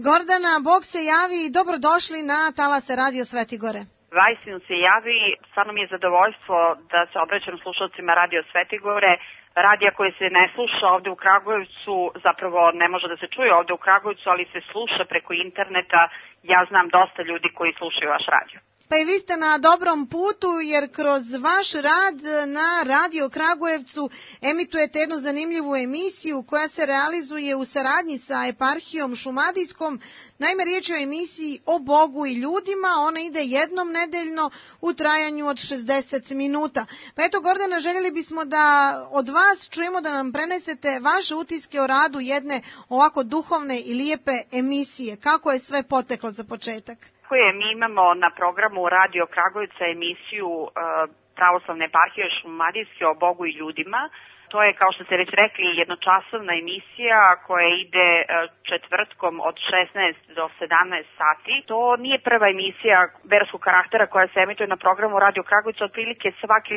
Gordana, Bog se javi i dobrodošli na talase Radio Svetigore. Vajsinu se javi, stvarno mi je zadovoljstvo da se obraćam slušalcima Radio Svetigore, radija koji se ne sluša ovde u Kragujevcu, zapravo ne može da se čuje ovde u Kragujevcu, ali se sluša preko interneta. Ja znam dosta ljudi koji slušaju vaš radio. Pa i vi ste na dobrom putu, jer kroz vaš rad na Radio Kragujevcu emitujete jednu zanimljivu emisiju koja se realizuje u saradnji sa eparhijom šumadijskom. Naime, riječ je o emisiji o Bogu i ljudima, ona ide jednom nedeljno u trajanju od 60 minuta. Pa eto, Gordana, željeli bismo da od vas čujemo da nam prenesete vaše utiske o radu jedne ovako duhovne i lijepe emisije. Kako je sve poteklo za početak? Mi imamo na programu Radio Kragujevca emisiju Pravoslavne eparhije šumadijske o Bogu i ljudima. To je, kao što ste već rekli, jednočasovna emisija koja ide četvrtkom od 16 do 17 sati. To nije prva emisija verskog karaktera koja se emituje na programu Radio Kragujevca. Otprilike svaki,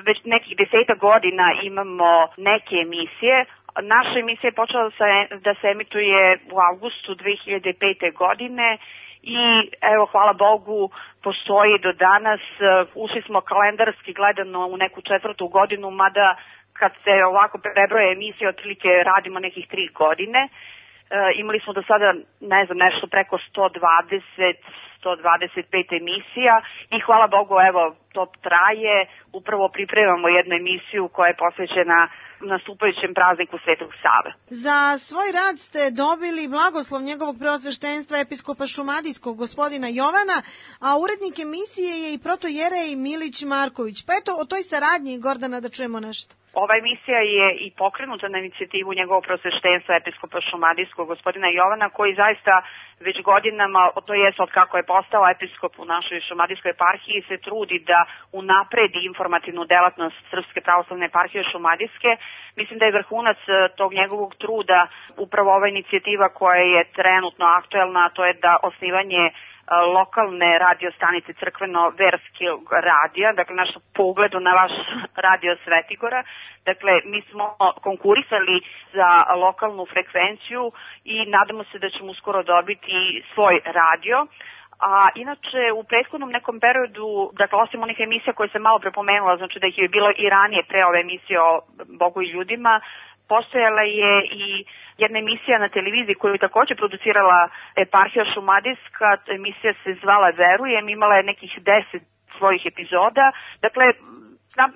već nekih 10 godina imamo neke emisije. Naša emisija je počela da se emituje u avgustu 2005. godine. I evo, hvala Bogu, postoji do danas. Ušli smo kalendarski gledano u neku 4. godinu, mada kad se ovako prebroje emisije, otprilike radimo nekih 3 godine. Imali smo do sada, nešto preko 125 emisija i hvala Bogu, evo, to traje. Upravo pripremamo jednu emisiju koja je posvećena nastupajućem prazniku Svetog Save. Za svoj rad ste dobili blagoslov njegovog preosveštenstva episkopa šumadijskog gospodina Jovana, a urednik emisije je i protojerej Milić Marković. Pa eto, o toj saradnji, Gordana, da čujemo nešto. Ova emisija je i pokrenuta na inicijativu njegovog preosveštenstva episkopa šumadijskog gospodina Jovana, koji zaista već godinama, to jest od kako je postao episkop u našoj šumadijskoj eparhiji, se trudi da unapredi informativnu delatnost Srpske pravoslavne eparhije šumadijske. Mislim da je vrhunac tog njegovog truda upravo ova inicijativa koja je trenutno aktuelna, a to je da osnivanje lokalne radio stanice crkveno-verskog radija, dakle naš pogledu na vaš Radio Svetigora. Dakle, mi smo konkurisali za lokalnu frekvenciju i nadamo se da ćemo uskoro dobiti svoj radio. A inače, u prethodnom nekom periodu, dakle, osim onih emisija koje sam malo prepomenula, znači da ih je bilo i ranije pre ove emisije o Bogu i ljudima, postojala je i jedna emisija na televiziji koju je također producirala eparhija šumadijska. Emisija se zvala Verujem, imala je nekih 10 svojih epizoda. Dakle,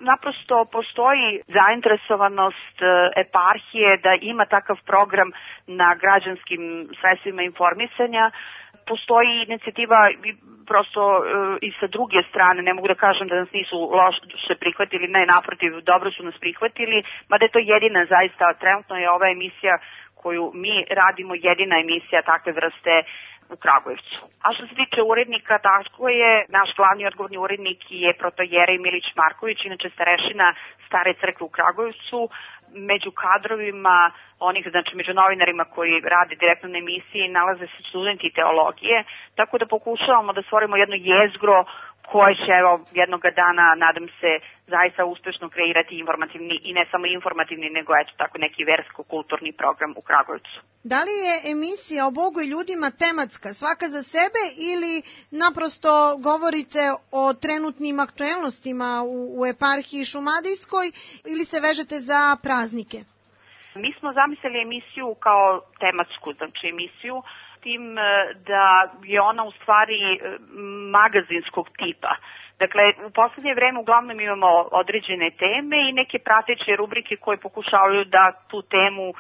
naprosto postoji zainteresovanost eparhije da ima takav program na građanskim sredstvima informisanja. Postoji inicijativa prosto i sa druge strane, ne mogu da kažem da nas nisu loše prihvatili, ne, naprotiv, dobro su nas prihvatili, mada je to jedina zaista, trenutno je ova emisija koju mi radimo jedina emisija takve vrste u Kragujevcu. A što se tiče urednika, tako je, naš glavni odgovorni urednik je protojerej Milić Marković, inače starešina Stare crkve u Kragujevcu. Među kadrovima onih, znači među novinarima koji rade direktno na emisiji, nalaze se studenti teologije, tako da pokušavamo da stvorimo jedno jezgro koje će, evo, jednoga dana, nadam se, zaista uspešno kreirati informativni i ne samo informativni, nego eto tako neki versko-kulturni program u Kragujevcu. Da li je emisija o Bogu i ljudima tematska, svaka za sebe, ili naprosto govorite o trenutnim aktuelnostima u eparhiji šumadijskoj, ili se vežete za praznike? Mi smo zamislili emisiju kao tematsku, znači emisiju, tim da je ona u stvari magazinskog tipa. Dakle, u poslednje vreme uglavnom imamo određene teme i neke prateće rubrike koje pokušavaju da tu temu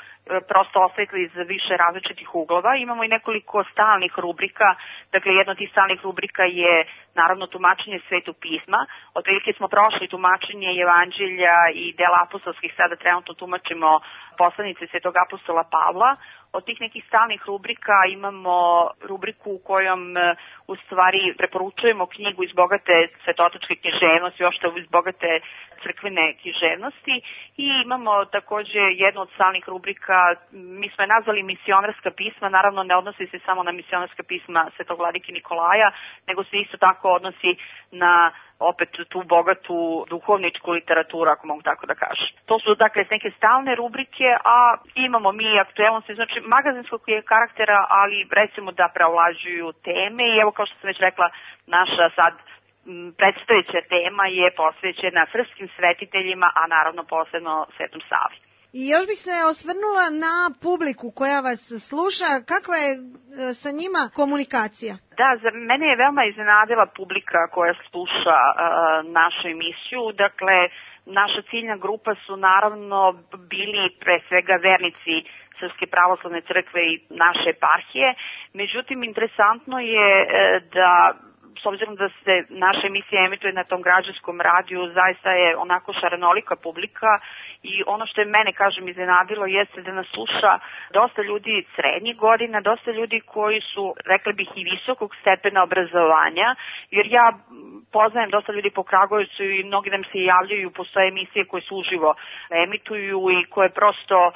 prosto osvetli iz više različitih uglova. Imamo i nekoliko stalnih rubrika, dakle jedna od tih stalnih rubrika je naravno tumačenje Svetog pisma. Otprilike smo prošli tumačenje Evanđelja i dela apostolskih, sada trenutno tumačimo poslanice Svetog apostola Pavla. Od tih nekih stalnih rubrika imamo rubriku u kojom u stvari preporučujemo knjigu iz bogate svetotačke književnosti, uopšte iz bogate crkvene književnosti i imamo takođe jednu od stalnih rubrika, mi smo je nazvali misionarska pisma, naravno ne odnosi se samo na misionarska pisma Svetog vladike Nikolaja, nego se isto tako odnosi na opet tu bogatu duhovničku literaturu, ako mogu tako da kažem. To su dakle neke stalne rubrike, a imamo mi aktuelnosti, znači magazinskog je karaktera, ali recimo da preovlađuju teme i evo kao što sam već rekla, naša sad predstojeća tema je posvećena srpskim svetiteljima, a naravno posebno Svetom Savi. I još bih se osvrnula na publiku koja vas sluša, kakva je sa njima komunikacija? Da, za mene je veoma iznenadila publika koja sluša našu emisiju, dakle naša ciljna grupa su naravno bili pre svega vernici Srpske pravoslavne crkve i naše eparhije, međutim interesantno je da s obzirom da se naša emisija emituje na tom građanskom radiju, zaista je onako šarenolika publika i ono što je mene, kažem, iznenadilo jeste da nas sluša dosta ljudi srednjih godina, dosta ljudi koji su, rekla bih, i visokog stepena obrazovanja, jer ja poznajem dosta ljudi po Kragujevcu i mnogi nam se javljaju, postoje emisije koje se uživo emituju i koje prosto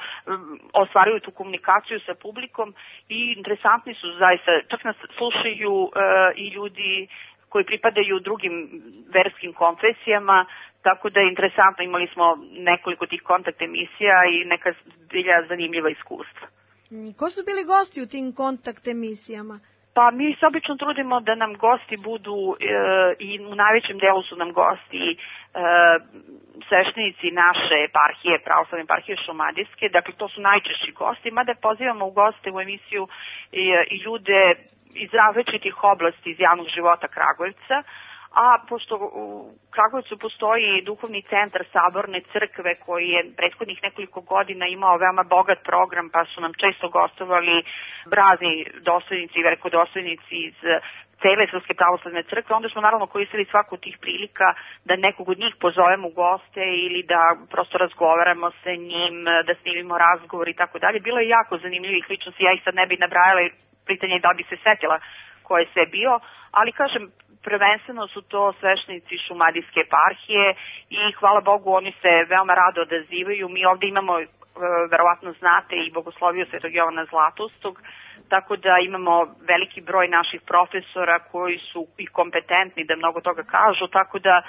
ostvaruju tu komunikaciju sa publikom i interesantni su zaista, čak nas slušaju i ljudi koji pripadaju drugim verskim konfesijama, tako da je interesantno, imali smo nekoliko tih kontakt emisija i neka zbilja zanimljiva iskustva. Ko su bili gosti u tim kontakt emisijama? Pa mi se obično trudimo da nam gosti budu i u najvećem delu su nam gosti sveštenici naše eparhije, pravoslavne eparhije Šumadijske, dakle to su najčešći gosti, mada pozivamo u goste u emisiju i ljude iz različitih oblasti iz javnog života Kragujevca, a pošto u Kragujevcu postoji duhovni centar Saborne crkve koji je prethodnih nekoliko godina imao veoma bogat program, pa su nam često gostovali razni dostojnici i velikodostojnici iz cele Srpske pravoslavne crkve, onda smo naravno koristili svaku od tih prilika da nekog od njih pozovemo u goste ili da prosto razgovaramo sa njim, da snimimo razgovor i tako dalje. Bilo je jako zanimljivih ličnosti, ja ih sad ne bih nabrajala, pitanje je da bi se setila ko je sve bio, ali kažem, prvenstveno su to sveštenici Šumadijske eparhije i hvala Bogu oni se veoma rado odazivaju. Mi ovde imamo, verovatno znate, i bogosloviju Svetog Jovana Zlatustog, tako da imamo veliki broj naših profesora koji su i kompetentni da mnogo toga kažu, tako da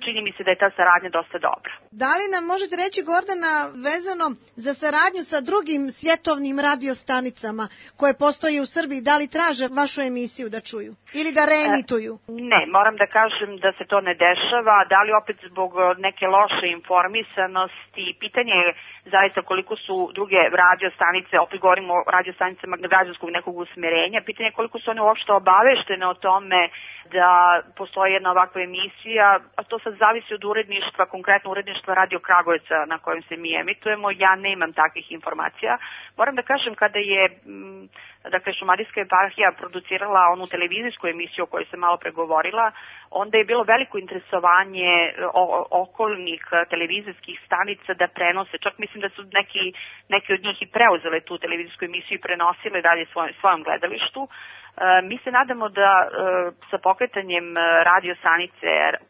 čini mi se da je ta saradnja dosta dobra. Da li nam možete reći, Gordana, vezano za saradnju sa drugim svjetovnim radiostanicama koje postoje u Srbiji, da li traže vašu emisiju da čuju ili da reemituju? Ne, moram da kažem da se to ne dešava, da li opet zbog neke loše informisanosti, pitanje je zaista koliko su druge radiostanice, opet govorimo o radiostanicama građanskog nekog usmerenja, pitanje je koliko su one uopšte obaveštene o tome da postoji jedna ovakva emisija, a to sad zavisi od uredništva, konkretno uredništva Radio Kragujevca na kojem se mi emitujemo, ja nemam takvih informacija. Moram da kažem, kada je dakle, Šumadijska eparhija producirala onu televizijsku emisiju o kojoj sam malo pregovorila, onda je bilo veliko interesovanje okolnih televizijskih stanica da prenose, čak mislim da su neki od njih i preuzele tu televizijsku emisiju i prenosile dalje svojom gledalištu. Mi se nadamo da sa pokretanjem radio stanice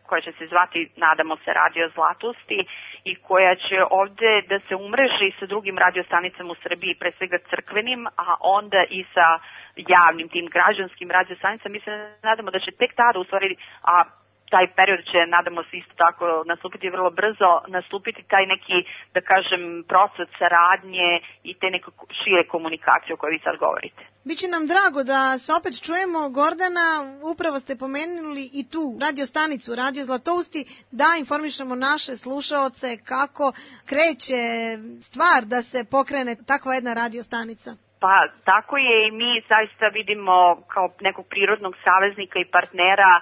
koja će se zvati, nadamo se, Radio Zlatosti i koja će ovde da se umreži sa drugim radiostanicama u Srbiji, pre svega crkvenim, a onda i sa javnim tim građanskim radiostanicama, mi se nadamo da će tek tada u stvari, a taj period će, nadamo se, isto tako nastupiti vrlo brzo, nastupiti taj neki, da kažem, proces saradnje i te neke šire komunikacije o kojoj vi sad govorite. Biće nam drago da se opet čujemo. Gordana, upravo ste pomenuli i tu radiostanicu, Radio Zlatousti, da informišemo naše slušaoce kako kreće stvar da se pokrene takva jedna radiostanica. Pa tako je i mi zaista vidimo kao nekog prirodnog saveznika i partnera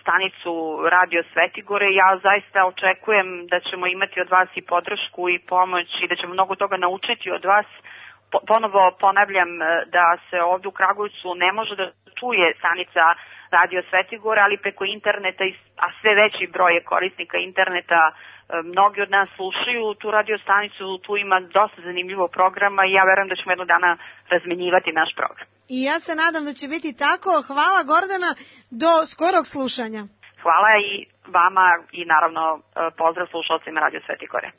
stanicu Radio Svetigore. Ja zaista očekujem da ćemo imati od vas i podršku i pomoć i da ćemo mnogo toga naučiti od vas. Ponovo ponavljam da se ovdje u Kragujevcu ne može da čuje stanica Radio Svetigore, ali preko interneta, a sve veći broj je korisnika interneta, mnogi od nas slušaju tu radio stanicu, tu ima dosta zanimljivog programa i ja verujem da ćemo jednog dana razmenjivati naš program. I ja se nadam da će biti tako. Hvala Gordana, do skorog slušanja. Hvala i vama i naravno pozdrav slušalcima Radio Sveti Gore.